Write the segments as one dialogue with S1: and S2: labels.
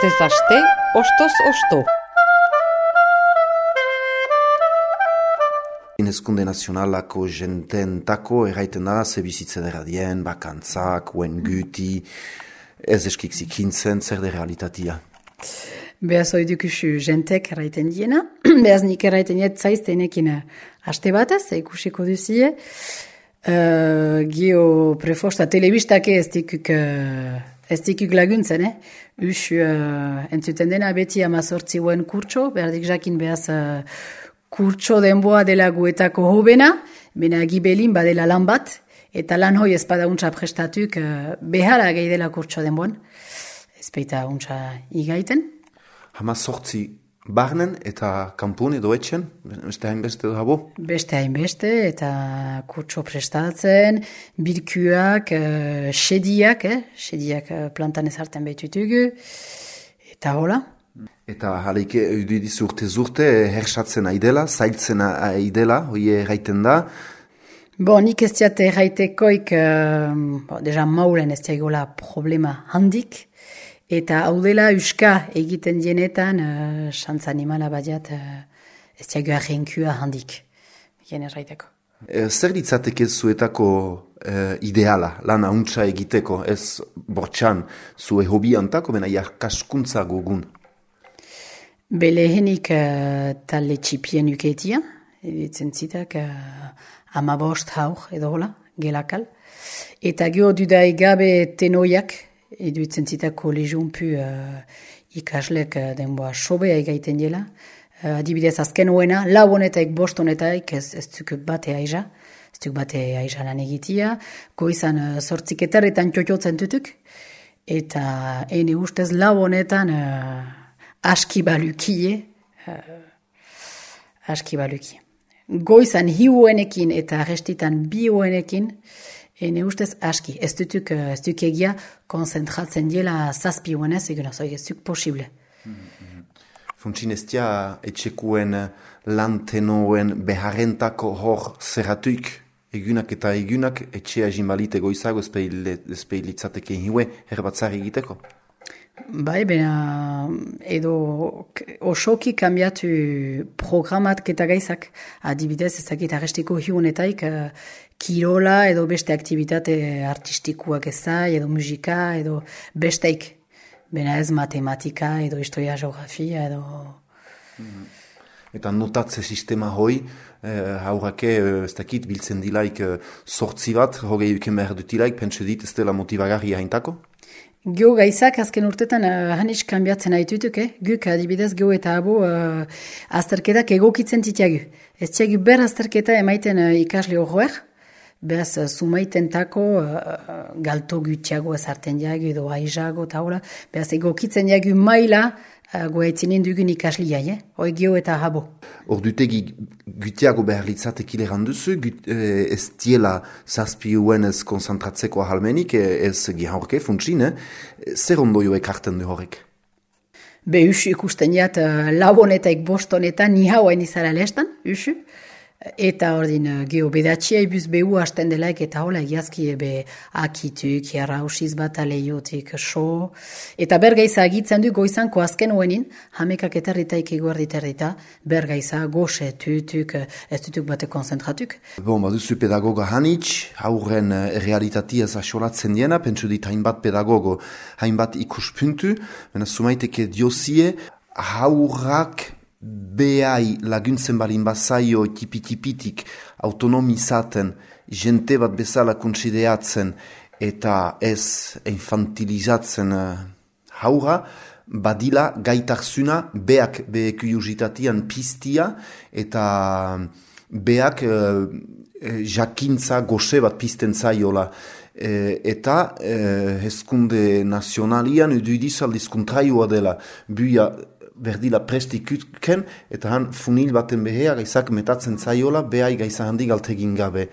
S1: Astez aste, ostoz osto.
S2: Hezkunde nazionalako jententako erraiten da, ze bizitze dera dien, bakantzak, uen guti, ez eskik zikintzen, zer de realitatea.
S3: Behaz oidukusu jentek erraiten diena, behaz nik erraiten diet zaiztenekin haste bataz, ikusiko duzie. Gio prefosta telebistake ez dikuk laguntzen, Usu entzuten dena beti 18 kurtso, berdik jakin behaz kurtso denboa dela guetako hobena, bena gibelin badela lan bat, eta lan hoi ez bada untsa prestatuk behala gehi dela kurtso denboan, ez baita untsa igaiten.
S2: 18 barnen eta kanpun edo etxen, beste hainbeste edo habo?
S3: Beste hainbeste eta kurtso prestatzen, bilkuak, sediak plantan ezarten behitutugu, eta hola.
S2: Eta jaleike eudidiz urte hersatzen aidela, zailtzen aidela, hoi erraiten da.
S3: Nik ez diat erraitekoik, deja maulen ez diagola problema handik, eta hau dela uska egiten dienetan, xantza animala badiat, ez diagoa renkua handik, gen erraiteko.
S2: Zer ditzateke zuetako ideala, lan hauntza egiteko, ez bortxan zue hobi antako, bena jakaskuntza gogun?
S3: Belehenik talde txipien uketia, editzen zitak 15 haur edo hola, gelakal. Eta geho dudai gabe tenoiak, eduitzen zitak kolegiunpu ikaslek denboa sobea egaiten dela. Adibidez azken hoena, lau honetaik, bost honetaik ez duk bate aiza. Ez duk bate aiza lan egitia. Goizan zortziketarretan txotxotzen tutuk. Eta ene ustez lau honetan aski balukie. Goizan hiuenekin eta restitan biuenekin, ene ustez aski. Ez duk egia konzentratzen diela zazpiuenez, egun ez duk posible.
S2: Funtsin ez dia etxekuen lantenoen beharrentako hor zerratuik, egunak eta egunak etxea jimbalite goizago ezpeilitzateke hiue herbatzari egiteko?
S3: Bai, bena edo osoki kambiatu programat eta gaizak. Adibidez, ezakit arrestiko hiunetaik kirola edo beste aktivitate artistikuak ezai, edo musika, edo besteik. Bena ez matematika, edo historia, geografia, edo...
S2: Eta notatze sistema hoi, haurake, ez dakit, biltzen dilaik sortzi bat, hogei uken behar dutilaik, pentsu dit, ez dela motivagarria haintako?
S3: Geo gaizak azken urtetan hanis kanbiatzen haitutuk, Guk adibidez geo eta abo azterketak egokitzen titiagu. Ez tiagu ber azterketa emaiten ikasle horroer, beraz sumaitentako galto gutiago ezarten diagu edo aizago eta hola, beraz egokitzen diagu maila goaitzinen dugun ikaslia, hoi geo eta abo.
S2: Ordutegi gutiago behar litzatekile randuzu, ez diela zazpiuen ez konzentratzeko ahalmenik, ez gihaurke funtsin, zer ondoioek hartzen du horrek?
S3: Usu ikusten jat labonetaik bostonetan ni hauain izara lestan, usu. Eta ordin geho bedatxia ibuz behu hasten delaik eta hola egiazki ebe akituk, jarrausiz bat aleiotik, so. Eta bergaiza agitzen du goizanko azken hoenin, hamekak eterritaik eguerditerrita, bergaiza goxe tutuk, ez tutuk bate konzentratuk.
S2: Baduzu pedagoga hanitz, haurren realitatea zasolatzen diena, pentsu dit hainbat pedagogo, hainbat ikuspuntu, bena sumaiteke diozie, haurrak behai laguntzen balin bazaio tipi-tipitik autonomizaten, jente bat bezala konsideatzen eta ez infantilizatzen haura, badila gaitarzuna beak kuriositatean piztia eta beak jakintza goxe bat pizten zaiola. Eta hezkunde nazionalian eduidiz aldiz kontraioa dela buia berdila prestikuken, eta han funil baten behea gaizak metatzen zaiola, behai gaiza handi galtegin gabe.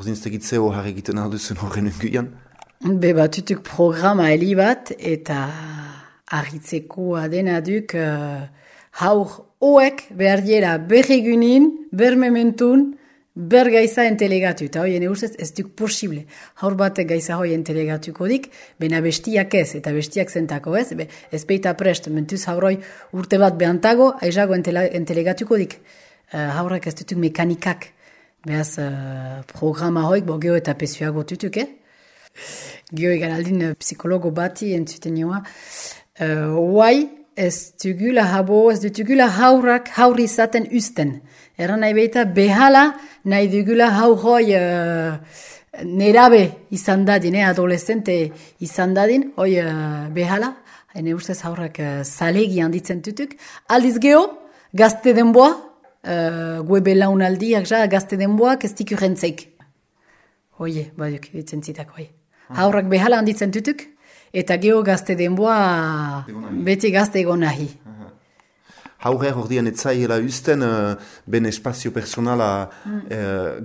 S2: Horzinztegitzeo har egiten alduzen horren unguian?
S3: Batutuk programa heli bat, eta argitzeko adena duk haur hoek behar diela berregunin, bermementun, ber gaiza entelegatu, eta hoi, ene ustez, ez duk posible. Haur bat gaiza hoi entelegatuko dik, bena bestiak ez, eta bestiak zentako ez, ez beita prest, mentuz hauroi urte bat behantago, aizago entelegatuko dik. Haurrak ez dutuk mekanikak, behaz programa hoik, bo geho eta pesuago tutuk, Geho egan aldin psikologo bati entzuten nioa, Huai, ez dugula haurrak haur izaten usten. Erran nahi beita, behala nahi dugula haurroi nerabe izan dadin, adolescente izan dadin, hoi behala, hene ustez haurrak zalegi handitzen tutuk. Aldiz geho, gazte denboa, gue belaunaldiak gazte denboak ez diku rentzeik. Hoie, baduk, ditzen zitak, hoi. Haurrak behala handitzen tutuk, eta geho gazte denboa beti gazte egon nahi.
S2: Haurrer ordean etzaiela usten ben espazio personala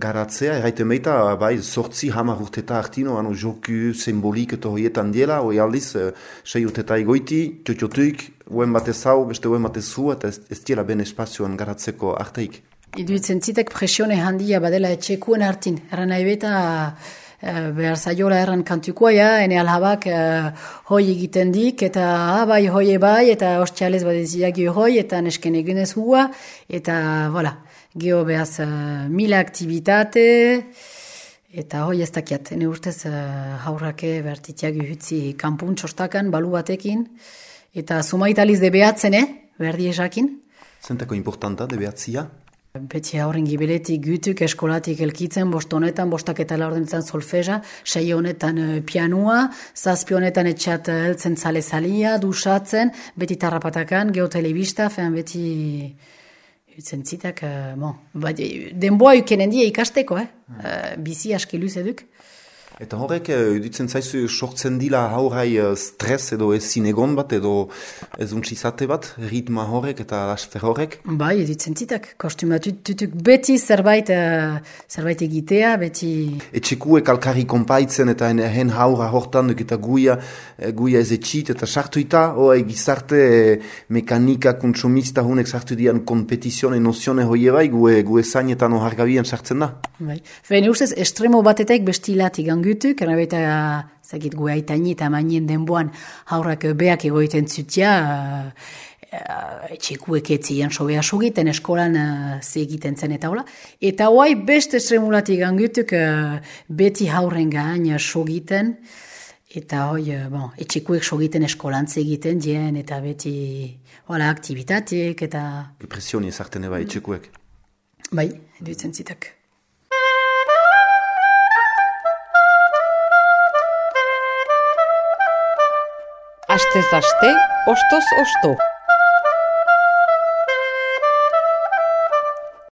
S2: garatzea, erraiten meita, bai, 8 urteta hartino, joku simbolik eta hoietan diela, hoi aldiz, 6 urteta egoiti, txotxotuik, uen batez hau, beste uen batez zu, eta ez diela ben espazioan garatzeko arteik.
S3: Iduitzen zitek presione handia badela etxekuen hartin, erran nahi beta behar zaiola erran kantukoa, ene alhabak hoi egiten dik, eta bai, hoi bai, eta hostialez badeziak hoi, eta nesken egunez hua, eta, voilà, geho behaz mila aktivitate, eta hoi ez dakiat, ene urtez haurrake bertitiak uhutzi kanpun txostakan, balu batekin, eta sumaitaliz de behatzen, berdi esakin.
S2: Zentako importanta, de behatzia?
S3: Beti hauren gibeletik gütuk eskolatik elkitzen, 5 honetan, 5 honetan solfeja, 6 honetan pianua, 7 honetan etxat heltzen zale-zalia, dusatzen, beti tarrapatakan, geotelebista, beti utzen zitak, denboa ukenen die ikasteko, bizi aski luz eduk.
S2: Eta horrek, dutzen zaizu, sortzen dila haurai stres edo ezin egon bat, edo ez untsizate bat, ritma horrek eta laster horrek?
S3: Bai, dutzen zitak, kostumatut beti zerbait egitea, beti...
S2: Etxekuek alkarri konpaitzen eta hen haura hortan duk eta guia ez etxit eta sartuita, gizarte mekanika kontsumista hunek sartu dian kompetizione nozione hoie bai, gue zainetan ohargabian sartzen da.
S3: Bai, fene ustez, estremo batetek bestilatik angutuk, erabeta zagit gue aitaini eta mainien denboan haurrak beak egoiten zutia, etxekuek etzien sobea sogiten, eskolan egiten zen eta hola. Eta hoai beste estremulatik angutuk beti haurren gain sogiten, eta hoi, etxekuek sogiten eskolan egiten dien, eta beti aktivitatek, eta...
S2: Presioni ezarten eba etxekuek.
S3: Bai, duitzen zitak.
S1: Astez aste, ostoz osto.